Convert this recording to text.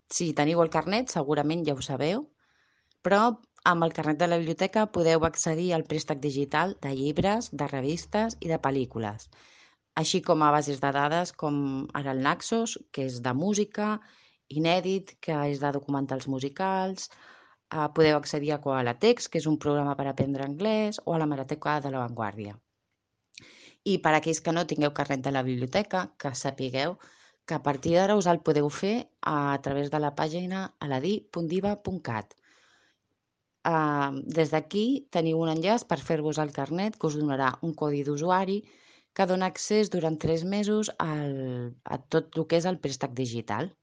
Si teniu el carnet, segurament ja ho sabeu, però amb el carnet de la biblioteca podeu accedir al préstec digital de llibres, de revistes i de pel·lícules, així com a bases de dades com ara el Naxos, que és de música, Inèdit, que és de documentals musicals, podeu accedir a Koalatext, que és un programa per aprendre anglès, o a la Hemeroteca de La Vanguardia. I per a aquells que no tingueu carnet de la biblioteca, que sapigueu que a partir d'ara us el podeu fer a través de la pàgina aladí.diva.cat. Des d'aquí teniu un enllaç per fer-vos el carnet que us donarà un codi d'usuari que dona accés durant 3 mesos a tot el que és el préstec digital.